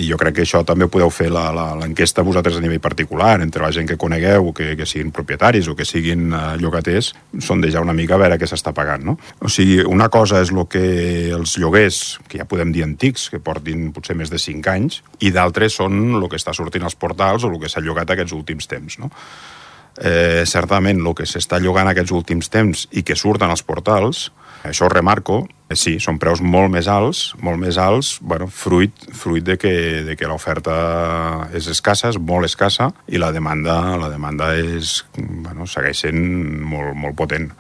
I jo crec que això també podeu fer l'enquesta vosaltres a nivell particular, entre la gent que conegueu, que siguin propietaris o que siguin llogaters, sondejar una mica a veure què s'està pagant, no? O sigui, una cosa és el que els lloguers, que ja podem dir antics, que portin potser més de 5 anys, i d'altres són el que està sortint als portals o el que s'ha llogat aquests últims temps, no? Certament, el que s'està llogant aquests últims temps i que surten als portals, això ho remarco, sí, són preus molt més alts, bueno, fruit de que l'oferta és escassa, és molt escassa, i la demanda és, bueno, segueix sent molt, molt potent.